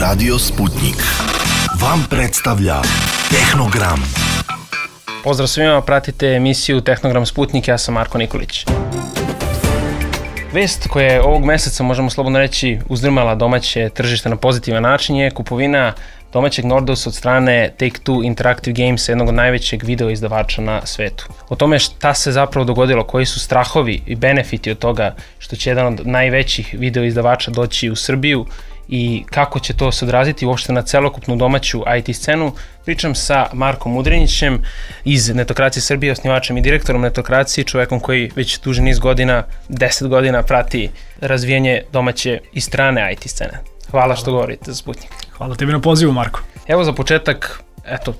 Radio Sputnik vam predstavlja Tehnogram. Pozdrav svima, pratite emisiju Tehnogram Sputnik, ja sam Marko Nikolić. Vest koja je ovog meseca, možemo slobodno reći, uzdrmala domaće tržište na pozitivan način je kupovina domaćeg Nordeusa od strane Take-Two Interactive Games, jednog od najvećeg video izdavača na svetu. O tome šta se zapravo dogodilo, koji su strahovi i benefiti od toga što će jedan od najvećih video izdavača doći u Srbiju i kako će to se odraziti uopšte na celokupnu domaću IT scenu, pričam sa Markom Udrinićem iz Netokracije Srbije, osnivačem i direktorom Netokracije, čovekom koji već duži niz godina, 10 godina prati razvijanje domaće i strane IT scene. Hvala što govorite za Sputnik. Hvala tebi na pozivu, Marko. Evo za početak,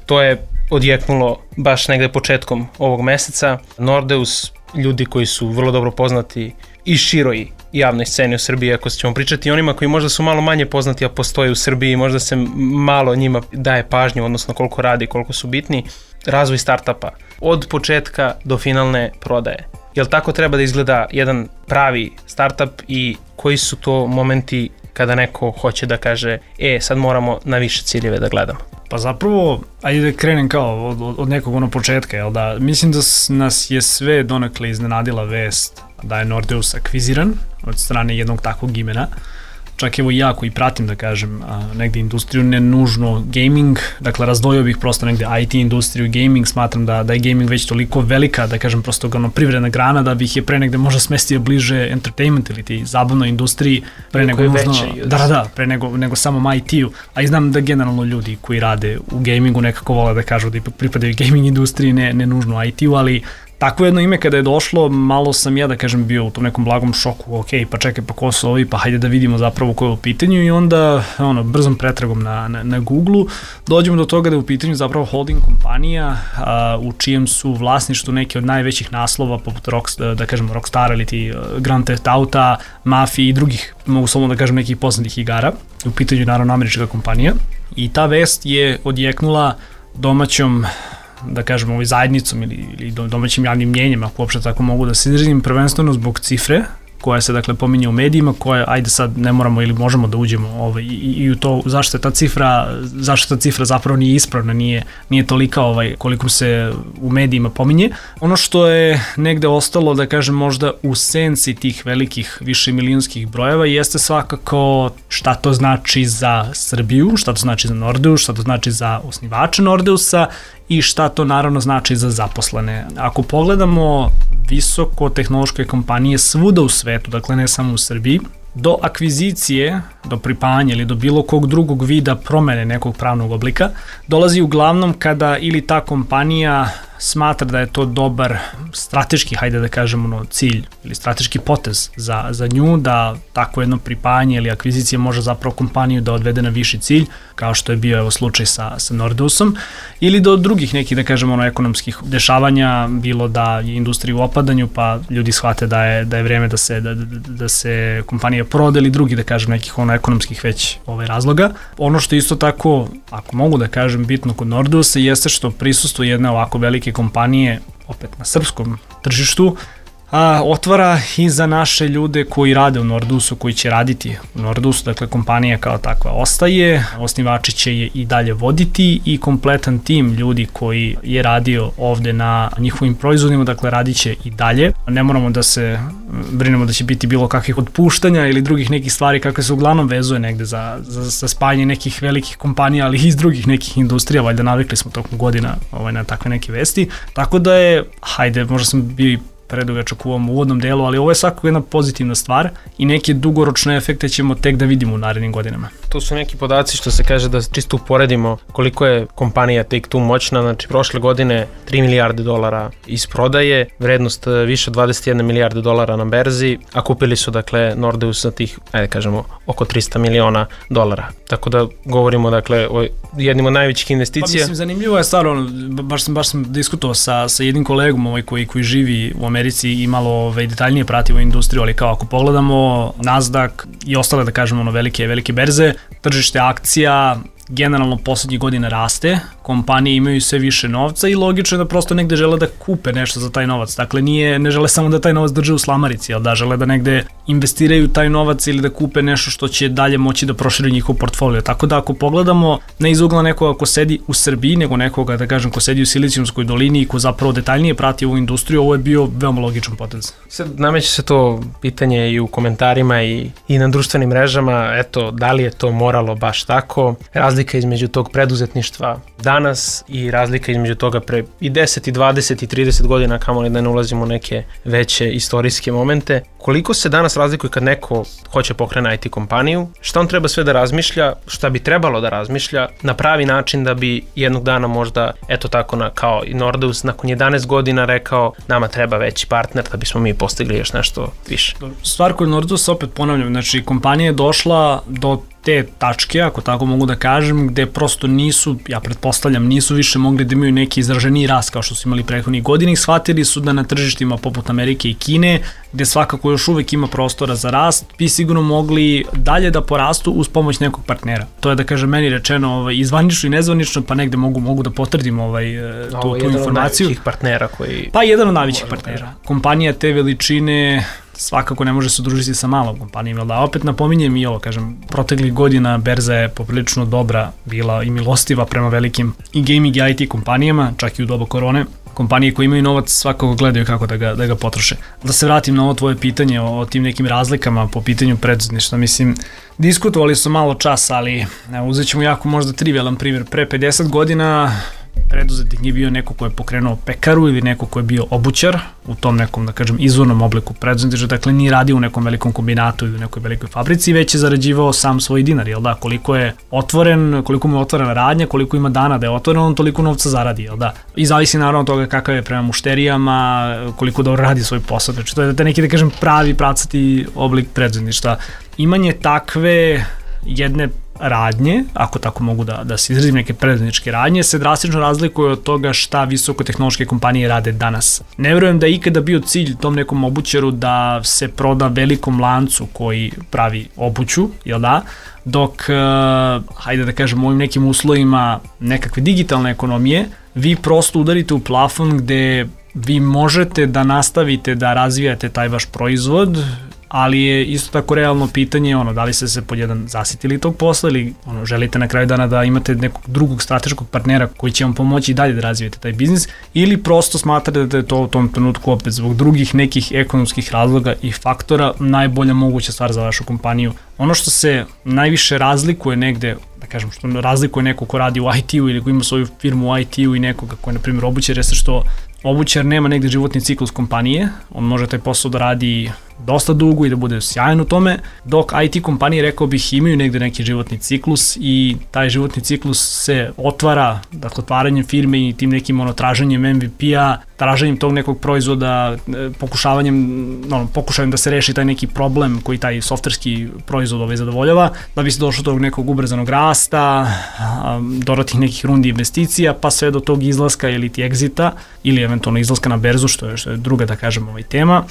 to je odjeknulo baš negde početkom ovog meseca. Nordeus, ljudi koji su vrlo dobro poznati i široj javnoj sceni u Srbiji, ako ćemo pričati i onima koji možda su malo manje poznati, a postoje u Srbiji, možda se malo njima daje pažnju, odnosno koliko radi, koliko su bitni, razvoj startupa, od početka do finalne prodaje. Jel tako treba da izgleda jedan pravi startup i koji su to momenti kada neko hoće da kaže, sad moramo na više ciljeve da gledamo? Pa zapravo, ajde da krenem kao od nekog početka, jel da? Mislim da nas je sve donekle iznenadila vest da je Nordeus akviziran od strane jednog takvog imena. Čak evo ja koji pratim, da kažem, negde industriju, ne nužno gaming, dakle razdvojio bih prosto negde IT industriju i gaming, smatram da je gaming već toliko velika, da kažem prosto privredna grana, da bih je pre negde možda smestio bliže entertainment ili ti zabavnoj industriji, pre nego nužno, pre nego samom IT-u, a i znam da generalno ljudi koji rade u gamingu nekako vole da kažu da ipak pripadaju gaming industriji, ne nužno IT-u, ali takvo jedno ime kada je došlo, malo sam ja, da kažem, bio u tom nekom blagom šoku, pa čekaj, pa ko su ovi, pa hajde da vidimo zapravo ko je u pitanju i onda, brzom pretragom na Google-u dođemo do toga da je u pitanju zapravo holding kompanija u čijem su vlasništvu neki od najvećih naslova, poput Rockstara ili ti Grand Theft Auta, Mafije i drugih, mogu samo da kažem, nekih poznatih igara. U pitanju je naravno američka kompanija i ta vest je odjeknula domaćom, da kažemo, zajednicom ili domaćim javnim mnjenjem, ako uopšte tako mogu da se izrazim, prvenstveno zbog cifre koja se, dakle, pominje u medijima, koja, ajde sad ne moramo ili možemo da uđemo i u to zašto ta cifra zapravo nije ispravna, nije tolika koliko se u medijima pominje. Ono što je negde ostalo, da kažem, možda u senci tih velikih višemilijonskih brojeva jeste svakako šta to znači za Srbiju, šta to znači za Nordeus, šta to znači za osnivače Nordeusa i šta to naravno znači za zaposlene. Ako pogledamo visoko tehnološke kompanije svuda u svetu, dakle ne samo u Srbiji, do akvizicije, do pripajanja ili do bilo kog drugog vida promene nekog pravnog oblika, dolazi uglavnom kada ili ta kompanija smatra da je to dobar strateški, hajde da kažemo, cilj ili strateški potez za nju, da tako jedno pripajanje ili akvizicija može zapravo kompaniju da odvede na viši cilj, kao što je bio slučaj sa Nordeusom, ili do drugih nekih, da kažemo, ekonomskih dešavanja, bilo da je industrija u opadanju, pa ljudi shvate da je vreme da se kompanija proda ili drugi, da kažem, nekih ekonomskih već razloga. Ono što isto tako, ako mogu da kažem, bitno kod Nordeusa jeste što prisustvo jedne ovako velike kompanije, opet na srpskom tržištu, otvara i za naše ljude koji rade u Nordeusu, koji će raditi u Nordeusu, dakle kompanija kao takva ostaje, osnivači će je i dalje voditi i kompletan tim ljudi koji je radio ovde na njihovim proizvodima, dakle radit će i dalje. Ne moramo da se brinemo da će biti bilo kakvih otpuštanja ili drugih nekih stvari kakve se uglavnom vezuje negde za spajanje nekih velikih kompanija, ali i iz drugih nekih industrija, valjda navikli smo tokom godina na takve neke vesti. Tako da je, možda sam bio i predugačak u ovom uvodnom delu, ali ovo je svakako jedna pozitivna stvar i neke dugoročne efekte ćemo tek da vidimo u narednim godinama. To su neki podaci što se kaže da čisto uporedimo koliko je kompanija Take-Two moćna, znači prošle godine 3 milijarde dolara iz prodaje, vrednost više od 21 milijarde dolara na berzi, a kupili su, dakle, Nordeus za tih, oko 300 miliona dolara. Tako da govorimo, dakle, o jednim od najvećih investicija. Pa mislim, zanimljivo je stvarno, baš sam diskutovao sa jednim kolegom koji živi u Americi i malo detaljnije prati ovu industriju, ali kao ako pogledamo Nasdaq i ostale, da kažemo, velike berze, tržište akcija generalno poslednjih godina raste, kompanije imaju sve više novca i logično je da prosto negde žele da kupe nešto za taj novac. Dakle, ne žele samo da taj novac drže u slamarici, ali da žele da negde investiraju taj novac ili da kupe nešto što će dalje moći da proširi njihov portfolio. Tako da ako pogledamo ne iz ugla nekoga ko sedi u Srbiji, nego nekoga, da kažem, ko sedi u Silicijumskoj dolini i ko zapravo detaljnije prati ovu industriju, ovo je bio veoma logičan potez. Sad nameće se to pitanje i u komentarima i na društvenim mrežama, eto, da li je to moralo baš tako? Razlika između tog preduzetništva danas i razlika između toga pre i 10 i 20 i 30 godina, kamoli da ne ulazimo u neke veće istorijske momente. Koliko se danas razlikuje kad neko hoće pokrene IT kompaniju, šta on treba sve da razmišlja, šta bi trebalo da razmišlja na pravi način da bi jednog dana možda, eto tako kao i Nordeus, nakon 11 godina rekao nama treba veći partner da bismo mi postigli još nešto više. Stvar kod Nordeus, opet ponavljam, znači kompanija je došla do te tačke, ako tako mogu da kažem, gde prosto nisu, ja pretpostavljam, nisu više mogli da imaju neki izraženiji rast kao što su imali prethodnih godina i shvatili su da na tržištima poput Amerike i Kine, gde svakako još uvek ima prostora za rast, bi sigurno mogli dalje da porastu uz pomoć nekog partnera. To je, da kažem, meni rečeno i zvanično i nezvanično, pa negde mogu da potvrdim tu informaciju. Jedan od najvećih partnera koji... Pa jedan od najvećih partnera. Kompanija te veličine svakako ne može se udružiti sa malom kompanijom, jel da? Opet napominjem i ovo, kažem, proteklih godina berza je poprilično dobra bila i milostiva prema velikim i gaming i IT kompanijama, čak i u doba korone. Kompanije koje imaju novac svakako gledaju kako da ga potroše. Da se vratim na ovo tvoje pitanje o tim nekim razlikama po pitanju preduzetništva, mislim, diskutovali su malo čas, ali uzet ćemo jako možda trivialan primjer. Pre 50 godina preduzetnik je bio neko ko je pokrenuo pekaru ili neko ko je bio obućar u tom nekom, da kažem, izvornom obliku preduzetništva, dakle nije radio u nekom velikom kombinatu ili u nekoj velikoj fabrici, već je zarađivao sam svoj dinar, jel da, koliko mu je otvorena radnja, koliko ima dana da je otvoren, on toliko novca zaradi, jel da. I zavisi naravno od toga kakav je prema mušterijama, koliko dobro radi svoj posao, znači to je neki, da kažem, pravi pravcati oblik preduzetništva. Imanje takve jedne radnje, ako tako mogu da se izrazim, neke preduzetničke radnje, se drastično razlikuje od toga šta visokotehnološke kompanije rade danas. Ne verujem da je ikada bio cilj tom nekom obućaru da se proda velikom lancu koji pravi obuću, jel da? Dok, hajde da kažem, u ovim nekim uslovima nekakve digitalne ekonomije, vi prosto udarite u plafon gde vi možete da nastavite da razvijate taj vaš proizvod, ali je isto tako realno pitanje da li ste se pod jedan zasitili tog posla ili želite na kraju dana da imate nekog drugog strateškog partnera koji će vam pomoći i dalje da razvijete taj biznis ili prosto smatrate da je to u tom trenutku opet zbog drugih nekih ekonomskih razloga i faktora najbolja moguća stvar za vašu kompaniju. Ono što se najviše razlikuje negde, da kažem, što razlikuje neko ko radi u IT-u ili ko ima svoju firmu u IT-u i nekoga ko je, na primjer, obućar, jeste što obućar nema negde životni ciklus kompanije, on može taj posao da radi dosta dugo i da bude sjajan u tome, dok IT kompanije, rekao bih, imaju negde neki životni ciklus i taj životni ciklus se otvara, dakle, otvaranjem firme i tim nekim traženjem MVP-a, traženjem tog nekog proizvoda, pokušajem da se reši taj neki problem koji taj softverski proizvod zadovoljava, da bi se došlo do tog nekog ubrzanog rasta, dodatnih nekih rundi investicija, pa sve do tog izlaska ili ti egzita, ili eventualno izlaska na berzu, što je druga, da kažem, tema.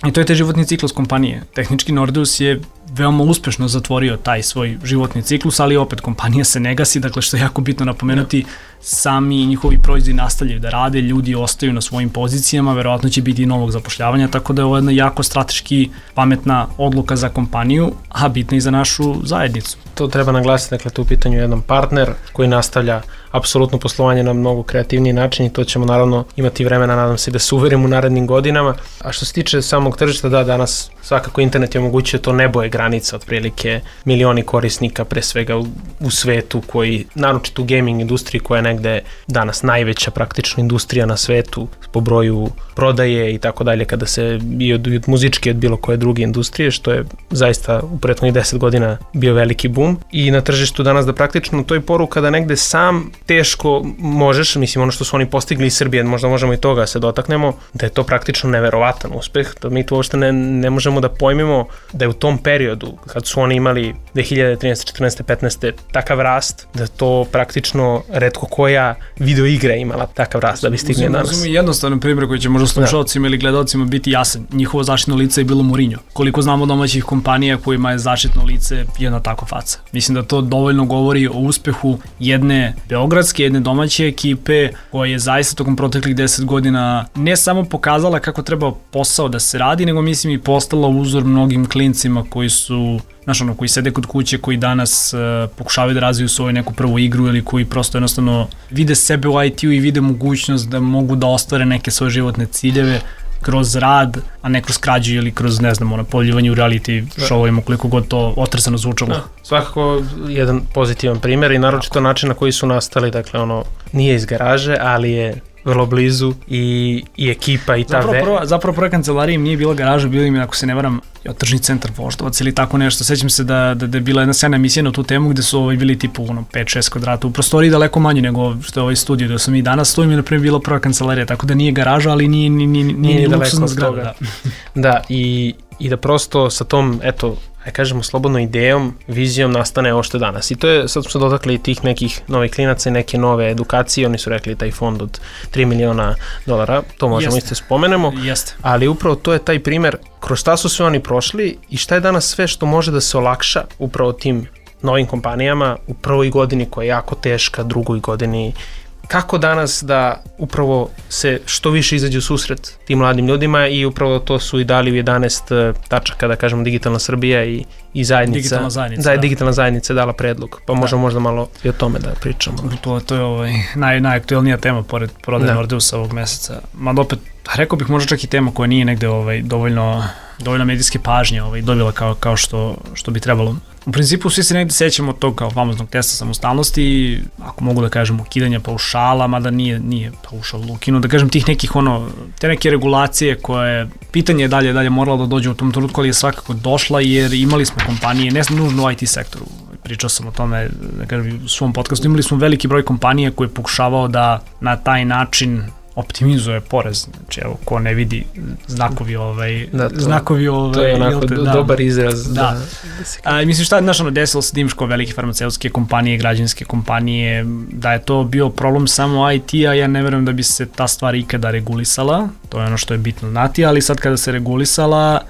I to je taj životni ciklus kompanije. Tehnički Nordeus je veoma uspešno zatvorio taj svoj životni ciklus, ali opet kompanija se ne gasi, dakle što je jako bitno napomenuti, sami njihovi proizvodi nastavljaju da rade, ljudi ostaju na svojim pozicijama, verovatno će biti i novog zapošljavanja, tako da je ovo jedna jako strateški pametna odluka za kompaniju, a bitna i za našu zajednicu. To treba naglasiti, dakle tu u pitanju jedan partner koji nastavlja apsolutno poslovanje na mnogo kreativniji način i to ćemo naravno imati vremena, nadam se, da se uverimo u narednim godinama. A što se tiče samog tržišta, da, danas svakako internet je omogućio, to nebo je granica, otprilike milioni korisnika pre svega u svetu koji, naročito u gaming industriji koja je negde danas najveća praktično industrija na svetu po broju prodaje i tako dalje, kada se i od muzičke od bilo koje druge industrije, što je zaista u prethodnih 10 godina bio veliki boom. I na tržištu danas da praktično to je poruka da negde sam teško možeš, mislim ono što su oni postigli iz Srbije, možda možemo i toga se dotaknemo, da je to praktično neverovatan uspeh, da mi to uopšte ne možemo da pojmimo da je u tom periodu periodu, kad su oni imali 2013, 14, 15 takav rast, da to praktično retko koja video igra imala takav rast da bi stigne danas. Uzmimo jednostavan primjer koji će možda slušalcima ili gledalcima biti jasan. Njihovo zaštitno lice je bilo Mourinho. Koliko znamo domaćih kompanija kojima je zaštitno lice jedna tako faca. Mislim da to dovoljno govori o uspehu jedne beogradske, jedne domaće ekipe koja je zaista tokom proteklih 10 godina ne samo pokazala kako treba posao da se radi, nego mislim i postala uzor mnogim klincima koji su, koji sede kod kuće, koji danas pokušavaju da razviju svoju neku prvu igru ili koji prosto jednostavno vide sebe u IT-u i vide mogućnost da mogu da ostvare neke svoje životne ciljeve kroz rad, a ne kroz krađu ili kroz, pojavljivanje u reality showovima, koliko god to otresano zvučalo. Svakako jedan pozitivan primjer i naročito način na koji su nastali, dakle nije iz garaže, ali je vrlo blizu i ekipa i ta Zapravo prva kancelarija im nije bila garaža, bilo im, ako se ne varam, tržni centar Voždovac ili tako nešto. Sećam se da je bila jedna sjajna emisija na tu temu gde su bili tipu 5-6 kvadrata u prostoriji, daleko manje nego što je ovaj studio gde sam i danas stojim, je na primjer bila prva kancelarija, tako da nije garaža, ali nije luksuzna zgrada. Da, i da prosto sa tom, kažemo slobodno idejom, vizijom nastane ovo što je danas. I to je, sad smo se dotakli tih nekih novih klinaca i neke nove edukacije, oni su rekli taj fond od $3 miliona, to možemo isto spomenemo, ali upravo to je taj primer kroz šta su sve oni prošli i šta je danas sve što može da se olakša upravo tim novim kompanijama u prvoj godini koja je jako teška, drugoj godini. Kako danas da upravo se što više izađe u susret tim mladim ljudima i upravo to su i dali u 11 tačaka, da kažemo, Digitalna Srbija i zajednica. Digitalna zajednica je dala predlog, pa možda malo i o tome da pričamo. To je najaktuelnija tema pored prodaje Nordeusa ovog meseca. Mada opet, rekao bih možda čak i tema koja nije negde dovoljno medijske pažnje dobila kao što bi trebalo. U principu svi se negde sećamo tog kao famoznog testa samostalnosti, ako mogu da kažem ukidanja paušala, mada nije paušal ukinut, da kažem tih nekih te neke regulacije koje, pitanje je dalje moralo da dođe u tom trenutku, ali je svakako došla jer imali smo kompanije, ne nužno u IT sektoru, pričao sam o tome, da kažem, u svom podcastu, imali smo veliki broj kompanija koje je pokušavao da na taj način optimizuje porez, znači evo, ko ne vidi znakovi to je onako dobar izraz. Mislim šta je desilo se dimško velike farmaceutske kompanije, građanske kompanije, da je to bio problem samo IT-a, ja ne verujem da bi se ta stvar ikada regulisala, to je ono što je bitno znati, ali sad kada se regulisala,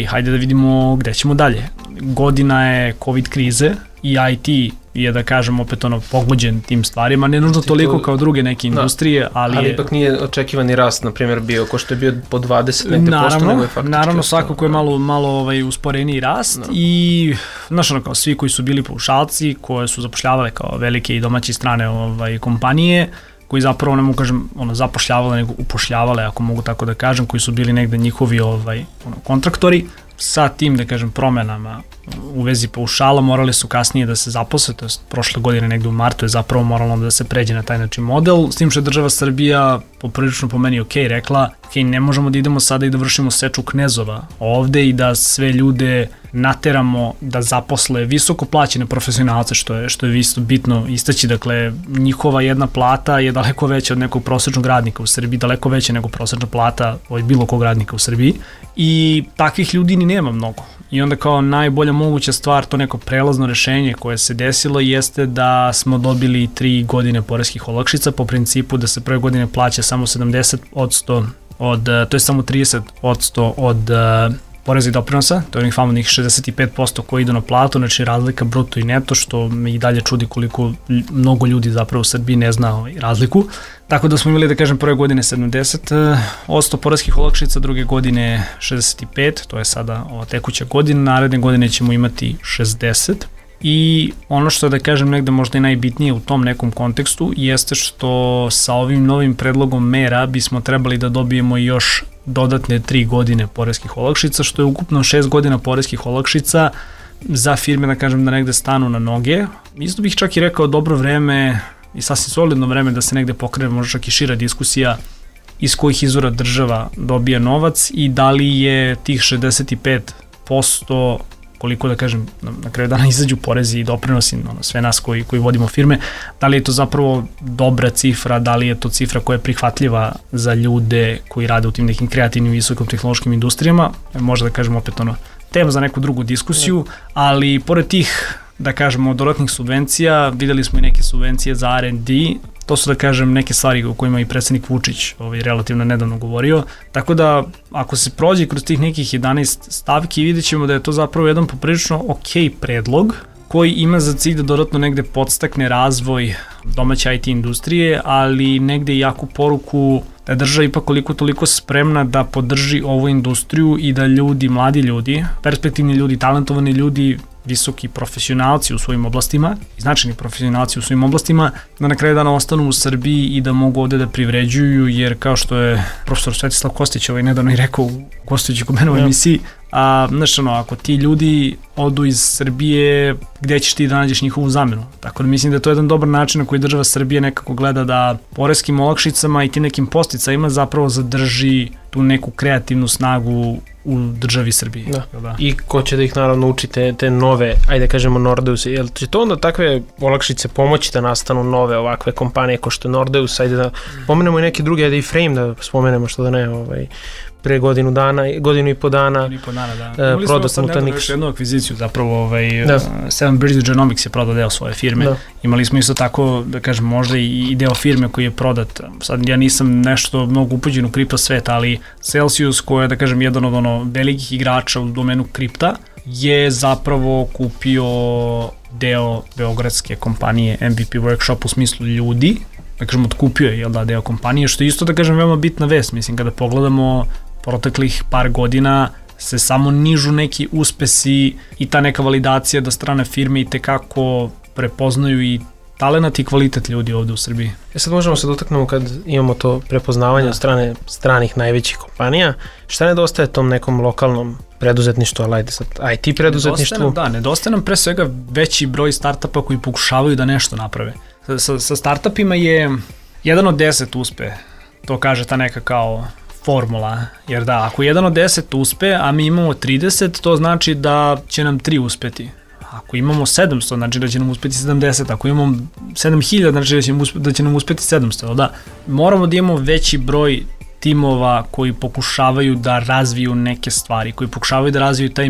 hajde da vidimo gde ćemo dalje. Godina je COVID krize i IT je, da kažem, opet pogođen tim stvarima, ne nužno toliko kao druge neke industrije, ali ipak nije očekivani rast, na primjer, bio, ko što je bio po 20 negde posto, nego je faktički. Naravno, svakako je malo usporeniji rast i, kao svi koji su bili paušalci, koje su zapošljavale kao velike i domaće strane kompanije, koji zapravo, ne mogu kažem, zapošljavale, nego upošljavale, ako mogu tako da kažem, koji su bili negde njihovi kontraktori, sa tim, da kažem, promenama u vezi paušala morali su kasnije da se zaposle, to je prošle godine negde u martu je zapravo moralo da se pređe na taj način model, s tim što je država Srbija poprilično po meni rekla, ne možemo da idemo sada i da vršimo seču knezova ovde i da sve ljude nateramo da zaposle visoko plaćene profesionalce, što je isto bitno istaći, dakle, njihova jedna plata je daleko veća od nekog prosečnog radnika u Srbiji, daleko veća nego prosečna plata bilo kog radnika u Srbiji i takvih ljudi ni nema mnogo. I onda kao najbolja moguća stvar, to neko prelazno rešenje koje se desilo jeste da smo dobili 3 godine poreskih olakšica po principu da se prve godine plaća samo 70% to je samo 30% od poreza i doprinosa, to je onih famoznih 65% koji idu na platu, znači razlika bruto i neto, što me i dalje čudi koliko mnogo ljudi zapravo u Srbiji ne zna razliku. Tako da smo imali, da kažem, prve godine 70% poreskih olakšica, druge godine 65%, to je sada ova tekuća godina, naredne godine ćemo imati 60%. I ono što, da kažem, negde možda i najbitnije u tom nekom kontekstu jeste što sa ovim novim predlogom mera bismo trebali da dobijemo još dodatne 3 godine poreskih olakšica, što je ukupno 6 godina poreskih olakšica za firme, da kažem, da negde stanu na noge. Isto bih čak i rekao dobro vreme i sasvim solidno vreme da se negde pokrene možda čak i šira diskusija iz kojih izvora država dobija novac i da li je tih 65%, koliko, da kažem, na kraju dana izađu porezi i doprinosi, sve nas koji vodimo firme, da li je to zapravo dobra cifra, da li je to cifra koja je prihvatljiva za ljude koji rade u tim nekim kreativnim visokom tehnološkim industrijama, možda da kažem opet tema za neku drugu diskusiju, ali pored tih, da kažemo, dodatnih subvencija, videli smo i neke subvencije za R&D, to su, da kažem, neke stvari o kojima i predsjednik Vučić relativno nedavno govorio, tako da ako se prođe kroz tih nekih 11 stavki, vidjet ćemo da je to zapravo jedan poprilično ok predlog, koji ima za cilj da dodatno negde podstakne razvoj domaće IT industrije, ali negde i jaku poruku da je država ipak koliko toliko spremna da podrži ovu industriju i da ljudi, mladi ljudi, perspektivni ljudi, talentovani ljudi, visoki profesionalci u svojim oblastima, značajni profesionalci u svojim oblastima, da na kraju dana ostanu u Srbiji i da mogu ovde da privređuju, jer kao što je profesor Svetislav Kostić nedavno i rekao u gostujući kod mene u emisiji, znaš, ako ti ljudi odu iz Srbije, gde ćeš ti da nađeš njihovu zamenu? Tako da mislim da je to jedan dobar način na koji država Srbije nekako gleda da poreskim olakšicama i tim nekim posticajima zapravo zadrži tu neku kreativnu snagu u državi Srbiji. Da. I ko će da ih naravno uči te nove, ajde kažemo Nordeus, jel će to onda takve olakšice pomoći da nastanu nove ovakve kompanije ko što je Nordeus, ajde da pomenemo i neke druge, ajde i Frame da spomenemo, što da ne, pre godinu i po dana prodat Nutanix. Imali smo jednu akviziciju, zapravo Seven Bridge Genomics je prodao deo svoje firme. Imali smo isto tako, da kažem, možda i deo firme koji je prodat. Sad ja nisam nešto mnogo upuđen u kripto svet, ali Celsius, koji je, da kažem, jedan od velikih igrača u domenu kripta, je zapravo kupio deo beogradske kompanije MVP Workshop u smislu ljudi, da kažem, otkupio je deo kompanije, što je isto, da kažem, veoma bitna vest. Mislim, kada pogledamo proteklih par godina se samo nižu neki uspesi i ta neka validacija da strane firme i tekako prepoznaju i talenat i kvalitet ljudi ovde u Srbiji. Sad možemo se dotaknemo kad imamo to prepoznavanje od strane stranih najvećih kompanija. Šta nedostaje tom nekom lokalnom preduzetništvu, ali ajde sad IT preduzetništvu? Nedostaje nam pre svega veći broj startupa koji pokušavaju da nešto naprave. Sa startupima je 1 od 10 uspe, to kaže ta neka kao formula, jer da, ako 1 od 10 uspe, a mi imamo 30, to znači da će nam 3 uspeti. Ako imamo 700, znači da će nam uspeti 70, ako imamo 7000, znači da će nam uspeti 700, da. Moramo da imamo veći broj timova koji pokušavaju da razviju neke stvari, koji pokušavaju da razviju taj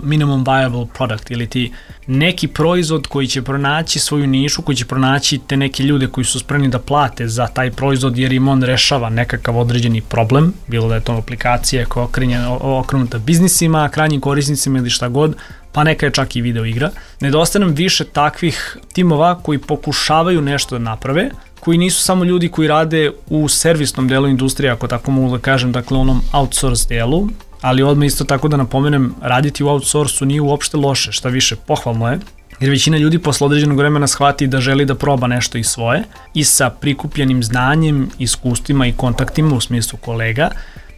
minimum viable product ili ti neki proizvod koji će pronaći svoju nišu, koji će pronaći te neke ljude koji su spremni da plate za taj proizvod jer im on rešava nekakav određeni problem, bilo da je to aplikacija koja je okrenuta biznisima, krajnjim korisnicima ili šta god, pa neka je čak i video igra. Nedostaje nam više takvih timova koji pokušavaju nešto da naprave, koji nisu samo ljudi koji rade u servisnom delu industrije, ako tako mogu da kažem, dakle onom outsource delu, ali odmah isto tako da napomenem, raditi u outsourcu nije uopšte loše, šta više pohvalno je, jer većina ljudi posle određenog vremena shvati da želi da proba nešto i svoje i sa prikupljenim znanjem, iskustvima i kontaktima u smislu kolega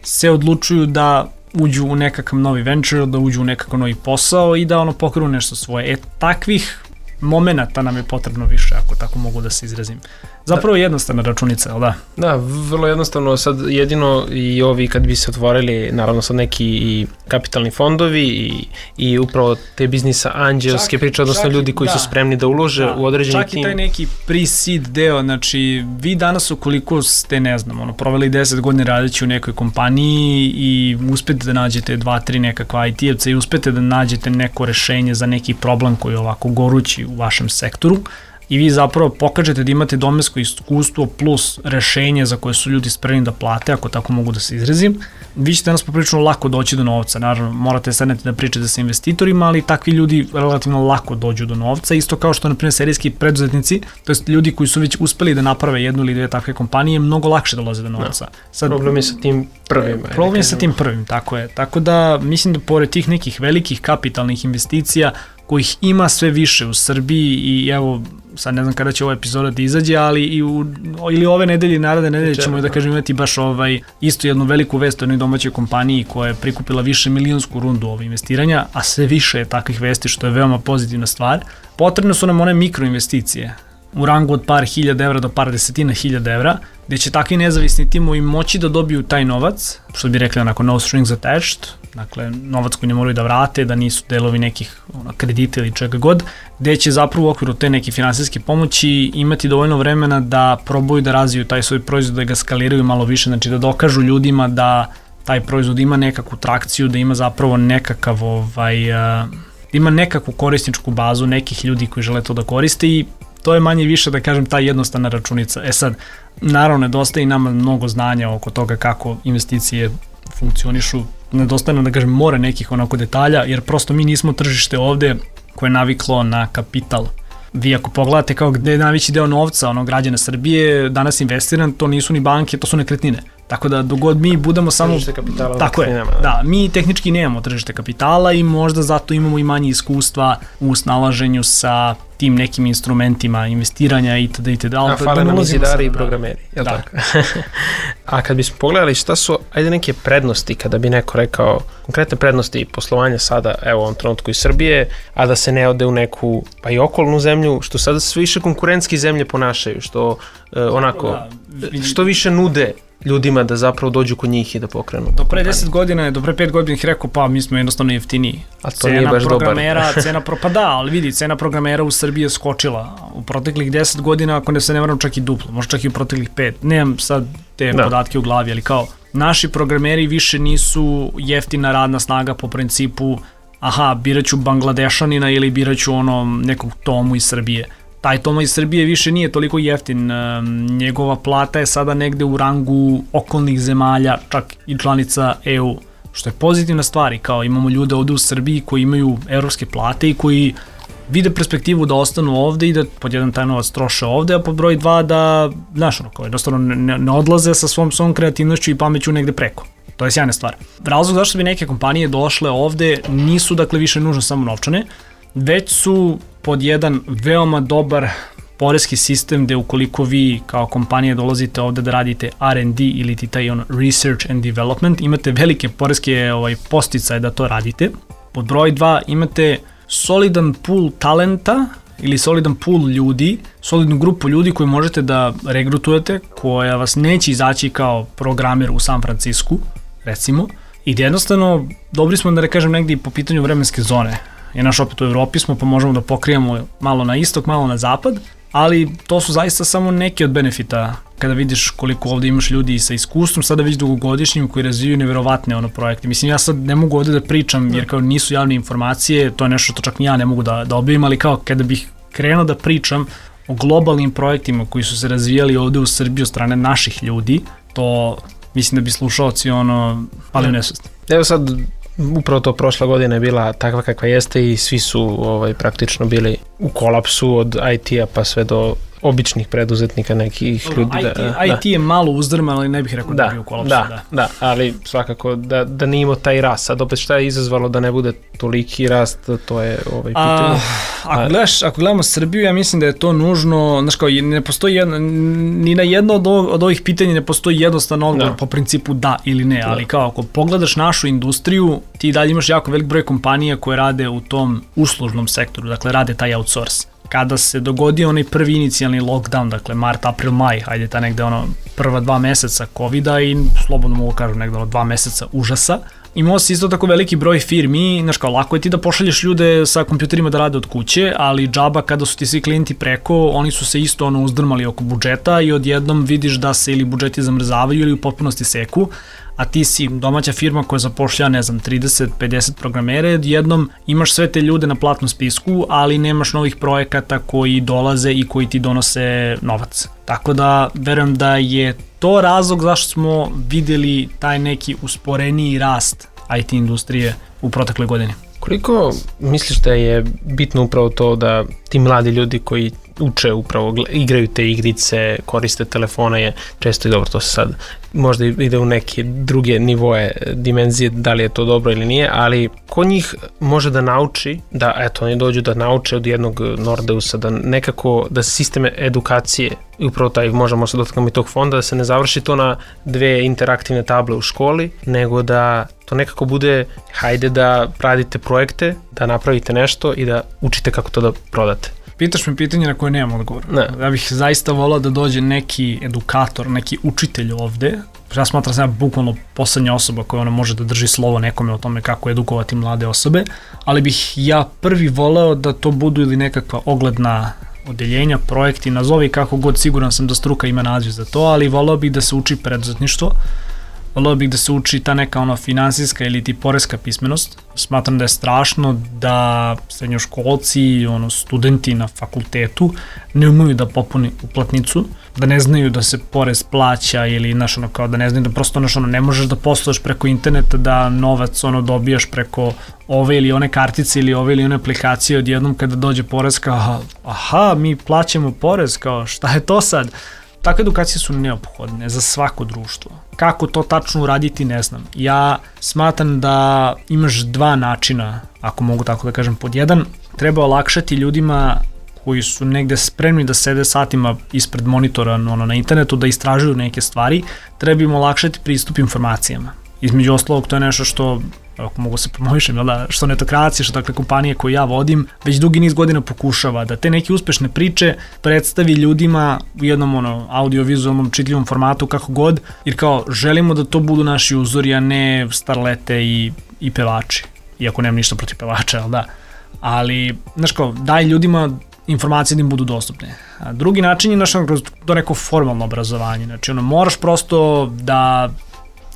se odlučuju da uđu u nekakav novi venture, da uđu u nekakav novi posao i da pokrenu nešto svoje. Takvih momenata nam je potrebno više, ako tako mogu da se izrazim. Zapravo jednostavna računica, ali da? Da, vrlo jednostavno. Sad jedino i ovi kad bi se otvorili, naravno sad neki i kapitalni fondovi i upravo te biznisa anđelske priče, odnosno ljudi koji su spremni da ulože u određeni tim. Čak i taj neki pre-seed deo, znači vi danas ukoliko ste, ne znam, proveli 10 godina radeći u nekoj kompaniji i uspete da nađete 2-3 nekakva IT-evca i uspete da nađete neko rešenje za neki problem koji je ovako gorući u vašem sektoru, i vi zapravo pokažete da imate domensko iskustvo plus rešenje za koje su ljudi spremni da plate, ako tako mogu da se izrazim, vi ćete nas poprilično lako doći do novca. Naravno, morate sedneti da pričate sa investitorima, ali takvi ljudi relativno lako dođu do novca, isto kao što, na primjer, serijski preduzetnici, to jest ljudi koji su već uspeli da naprave jednu ili dve takve kompanije, mnogo lakše dolaze do novca. Sad, problem je sa tim prvim. Problem je sa tim prvim, tako je. Tako da, mislim da pored tih nekih velikih kapitalnih investicija, kojih ima sve više u Srbiji i evo, sad ne znam kada će ova epizoda da izađe, ali ili ove nedelje i naredne nedelje ćemo da kažem imati baš isto jednu veliku vest o jednoj domaćoj kompaniji koja je prikupila više milionsku rundu investiranja, a sve više je takvih vesti, što je veoma pozitivna stvar. Potrebne su nam one mikroinvesticije u rangu od par hiljada evra do par desetina hiljada evra, gde će takvi nezavisni timovi moći da dobiju taj novac, što bi rekli onako no strings attached, dakle novac koji ne moraju da vrate, da nisu delovi nekih kredita ili čega god, gde će zapravo u okviru te neke finansijske pomoći imati dovoljno vremena da probaju da razviju taj svoj proizvod, da ga skaliraju malo više, znači da dokažu ljudima da taj proizvod ima nekakvu trakciju, da ima zapravo nekakav ima nekakvu korisničku bazu nekih ljudi koji žele to da koriste i to je manje više, da kažem, ta jednostavna računica. Sad, naravno, nedostaje i nama mnogo znanja oko toga kako investicije funkcionišu, nedostaje nam, da kažem, more nekih onako detalja, jer prosto mi nismo tržište ovde koje je naviklo na kapital. Vi ako pogledate kao gde je najveći deo novca građana Srbije danas investiran, to nisu ni banke, to su nekretnine. Tako da dogod mi budemo samo... Tržište kapitala. Tako je, da. Mi tehnički nemamo tržište kapitala i možda zato imamo i manje iskustva u snalaženju sa tim nekim instrumentima investiranja itd. A fale nam i zidari i programeri, jel tako? A kad bismo pogledali šta su, ajde neke prednosti, kada bi neko rekao, konkretne prednosti poslovanja sada, evo u ovom trenutku iz Srbije, a da se ne ode u neku, pa i okolnu zemlju, što sada sve više konkurentske zemlje ponašaju, što što više nude ljudima da zapravo dođu kod njih i da pokrenu. Do pre 10 godina, do pre 5 godina ih rekao, pa mi smo jednostavno jeftiniji. A to nije baš dobar. Pa da, ali vidi, cena programera u Srbiji je skočila. U proteklih 10 godina, ako ne se ne varam, čak i duplo, možda čak i u proteklih 5. Nemam sad te podatke u glavi, ali kao, naši programeri više nisu jeftina radna snaga po principu, biraću Bangladešanina ili biraću nekog Tomu iz Srbije. Taj Toma iz Srbije više nije toliko jeftin, njegova plata je sada negde u rangu okolnih zemalja, čak i članica EU, što je pozitivna stvar. Kao imamo ljude ovde u Srbiji koji imaju evropske plate i koji vide perspektivu da ostanu ovde i da pod jedan taj novac troše ovde, a pod broj 2 da, jednostavno ne odlaze sa svom kreativnošću i pameću negde preko. To je sjajna stvar. Razlog zašto bi neke kompanije došle ovde nisu dakle više nužno samo novčane, već su pod jedan veoma dobar poreski sistem gde ukoliko vi kao kompanija dolazite ovde da radite R&D ili ti taj research and development, imate velike poreske podsticaje da to radite. Pod broj 2 imate solidan pool talenta ili solidan pool ljudi, solidnu grupu ljudi koju možete da regrutujete, koja vas neće izaći kao programer u San Francisku, recimo, i da jednostavno dobri smo, da kažem, negdje po pitanju vremenske zone. Jer opet u Evropi smo, pa možemo da pokrijemo malo na istok, malo na zapad, ali to su zaista samo neki od benefita kada vidiš koliko ovde imaš ljudi sa iskustvom, sada već dugogodišnjim koji razvijaju neverovatne projekte. Mislim, ja sad ne mogu ovde da pričam jer kao nisu javne informacije, to je nešto što čak ni ja ne mogu da objavim, ali kao kada bih krenuo da pričam o globalnim projektima koji su se razvijali ovde u Srbiji od strane naših ljudi, to mislim da bi slušalci pali u nesvest. Evo sad, upravo to prošla godina je bila takva kakva jeste i svi su praktično bili u kolapsu od IT-a pa sve do običnih preduzetnika nekih ljudi. IT je malo uzdrman, ali ne bih rekao da bi u kolapsu. Da, ali svakako da nije imao taj rast. Sad opet šta je izazvalo da ne bude toliki rast, to je pitanje. Ako gledamo Srbiju, ja mislim da je to nužno, znaš kao, ne postoji ni na jedno od ovih pitanja ne postoji jednostavan odgovor po principu da ili ne, ali kao ako pogledaš našu industriju, ti dalje imaš jako velik broj kompanija koje rade u tom uslužnom sektoru, dakle rade taj outsource. Kada se dogodio onaj prvi inicijalni lockdown, dakle mart, april, maj, hajde ta negde prva 2 meseca covida i slobodno mogu kažem negde 2 meseca užasa, imao se isto tako veliki broj firmi, znaš kao lako je ti da pošalješ ljude sa kompjuterima da rade od kuće, ali džaba kada su ti svi klijenti preko, oni su se isto uzdrmali oko budžeta i odjednom vidiš da se ili budžeti zamrzavaju ili u potpunosti seku, a ti si domaća firma koja zapošlja, 30-50 programere, jednom imaš sve te ljude na platnom spisku, ali nemaš novih projekata koji dolaze i koji ti donose novac. Tako da, verujem da je to razlog zašto smo videli taj neki usporeniji rast IT industrije u protekloj godini. Koliko misliš da je bitno upravo to da ti mladi ljudi koji uče upravo, igraju te igrice, koriste telefone, je često i dobro, to se sad možda ide u neke druge nivoe, dimenzije, da li je to dobro ili nije, ali ko njih može da nauči, da eto, oni dođu da nauče od jednog Nordeusa, da nekako, da sistem edukacije, i upravo taj, možemo se dotaknemo i tog fonda, da se ne završi to na 2 interaktivne table u školi, nego da to nekako bude, hajde da radite projekte, da napravite nešto i da učite kako to da prodate. Pitaš me pitanje na koje nemam odgovor. Ja bih zaista volao da dođe neki edukator, neki učitelj ovde. Ja smatram sam bukvalno poslednja osoba koja može da drži slovo nekome o tome kako edukovati mlade osobe, ali bih ja prvi voleo da to budu ili nekakva ogledna odeljenja, projekti, nazovi kako god, siguran sam da struka ima naziv za to, ali voleo bih da se uči preduzetništvo. voleo bih da se uči ta neka finansijska ili ti poreska pismenost. Smatram da je strašno da srednjoškolci, studenti na fakultetu ne umeju da popuni uplatnicu, da ne znaju da se porez plaća ili kao da ne znaju da prosto ne možeš da posluješ preko interneta, da novac dobijaš preko ove ili one kartice ili ove ili one aplikacije, odjednom kada dođe porez kao aha, mi plaćamo porez, kao šta je to sad? Takve edukacije su neophodne za svako društvo. Kako to tačno uraditi, ne znam. Ja smatram da imaš dva načina, ako mogu tako da kažem. Pod jedan, treba olakšati ljudima koji su negde spremni da sede satima ispred monitora na internetu, da istražuju neke stvari, treba im olakšati pristup informacijama. Između ostalog, to je nešto što, ako mogu se promovišem, što Netokracija, što kompanije koje ja vodim, već dugi niz godina pokušava da te neke uspešne priče predstavi ljudima u jednom audio-vizualnom čitljivom formatu, kako god, jer kao želimo da to budu naši uzori, a ne starlete i pevači. Iako nemam ništa protiv pevača, ali, daj ljudima informacije da im budu dostupne. A drugi način je kroz to neko formalno obrazovanje. Znači, moraš prosto da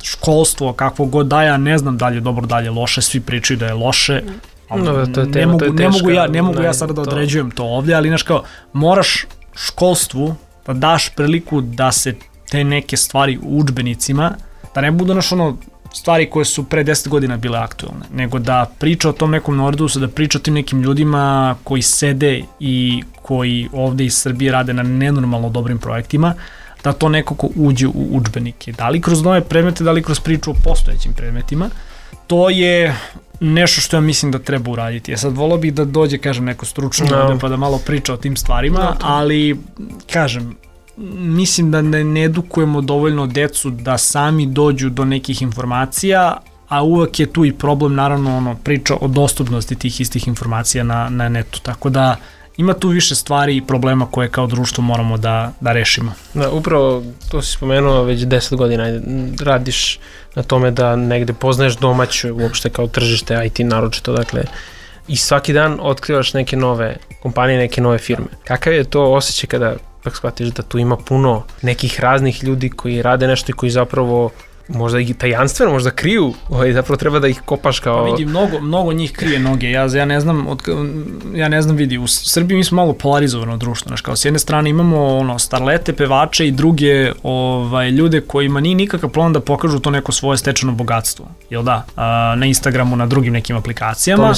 školstvo, kakvo god da, ja ne znam da li je dobro, da li je loše, svi pričaju da je loše, ne mogu ja sada da određujem to ovdje, ali moraš školstvu da daš priliku da se te neke stvari u udžbenicima, da ne budu stvari koje su pre 10 godina bile aktualne, nego da priča o tom nekom Nordusu, da priča o tim nekim ljudima koji sede i koji ovde iz Srbije rade na nenormalno dobrim projektima, da to nekako uđe u udžbenike. Da li kroz nove predmete, da li kroz priču o postojećim predmetima, to je nešto što ja mislim da treba uraditi. Sad volao bih da dođe, neko stručno ovde pa da malo priča o tim stvarima, ali, mislim da ne edukujemo dovoljno decu da sami dođu do nekih informacija, a uvek je tu i problem, naravno, priča o dostupnosti tih istih informacija na netu, tako da ima tu više stvari i problema koje kao društvo moramo da rešimo. Da, upravo to si spomenuo, već 10 godina radiš na tome da negde poznaješ domaću uopšte kao tržište IT naročito, dakle, i svaki dan otkrivaš neke nove kompanije, neke nove firme. Kakav je to osjećaj kada shvatiš da tu ima puno nekih raznih ljudi koji rade nešto i koji zapravo možda i tajanstveno, možda kriju, zapravo treba da ih kopaš kao... Vidi, mnogo njih krije noge, ja ne znam, vidi, u Srbiji mi smo malo polarizovano društvo, kao s jedne strane imamo starlete, pevače i druge ljude kojima nije nikakav plan da pokažu to neko svoje stečeno bogatstvo, jel da, na Instagramu, na drugim nekim aplikacijama.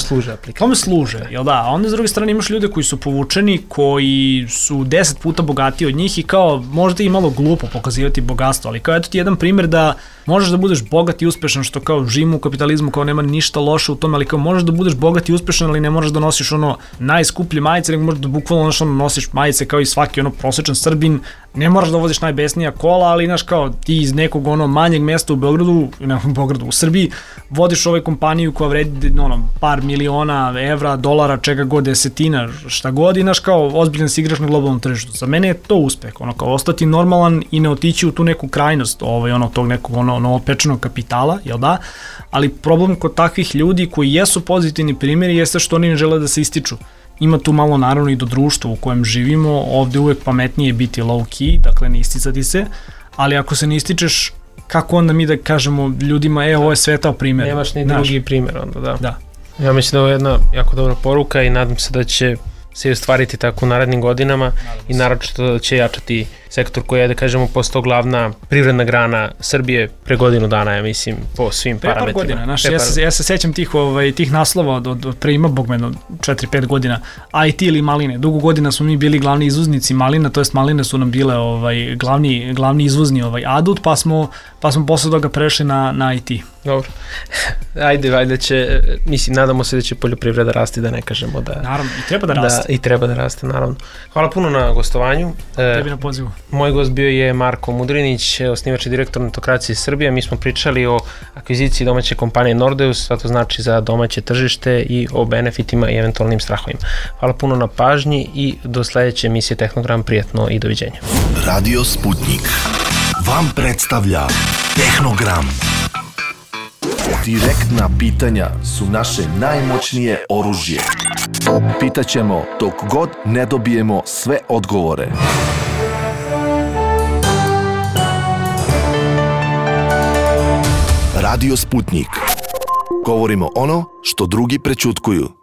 Tome služe, jel da, a onda s druge strane imaš ljude koji su povučeni, koji su 10 puta bogatiji od njih i kao možda i malo glupo pokazivati bogatstvo, ali kao eto ti jedan primjer da možeš da budeš bogat i uspešan, što kao živimo u kapitalizmu, kao nema ništa loše u tome, ali kao možeš da budeš bogat i uspešan, ali ne moraš da nosiš najskuplje majice, nego možeš da bukvalno nosiš majice kao i svaki prosečan Srbin, ne moraš da voziš najbesnija kola, ali kao ti iz nekog manjeg mesta u Beogradu, u Srbiji, vodiš kompaniju koja vredi par miliona evra, dolara, čega god, desetina, šta god, i kao ozbiljan si igraš na globalnom tržištu. Za mene je to uspeh, kao ostati normalan i ne otići u tu neku krajnost tog nekog novopečenog kapitala, jel da? Ali problem kod takvih ljudi koji jesu pozitivni primjeri jeste što oni ne žele da se ističu. Ima tu malo naravno i do društva u kojem živimo, ovde uvek pametnije biti low key, dakle ne isticati se, ali ako se ne ističeš, kako onda mi da kažemo ljudima, ovo je svetao primjer. Nemaš ni drugi primjer onda, da. Ja mislim da je ovo jedna jako dobra poruka i nadam se da će se ostvariti tako u narednim godinama i naročito da će jačati sektor koji je, da kažemo, postao glavna privredna grana Srbije pre godinu dana, ja mislim, po svim parametrima. Par godina, ja se sećam tih naslova od pre ima bogmeno 4-5 godina, IT ili maline. Dugo godina smo mi bili glavni izvoznici malina, to jest maline su nam bile glavni izvozni adut, pa smo posle toga prešli na IT. Dobro. Ajde će, mislim, nadamo se da će poljoprivreda rasti, da ne kažemo da... Naravno, i treba da raste. I treba da raste, naravno. Hvala puno na gostovanju. Tebi na pozivu. Moj gost bio je Marko Mudrinić, osnivač i direktor Netokracije Srbije. Mi smo pričali o akviziciji domaće kompanije Nordeus, šta to znači za domaće tržište i o benefitima i eventualnim strahovima. Hvala puno na pažnji i do sledeće emisije Tehnogram. Prijatno i doviđenja. Radio Sputnik vam predstavlja Tehnogram. Direktna pitanja su naše najmoćnije oružje. Pitaćemo dok god ne dobijemo sve odgovore. Radio Sputnik. Govorimo ono što drugi prečutkuju.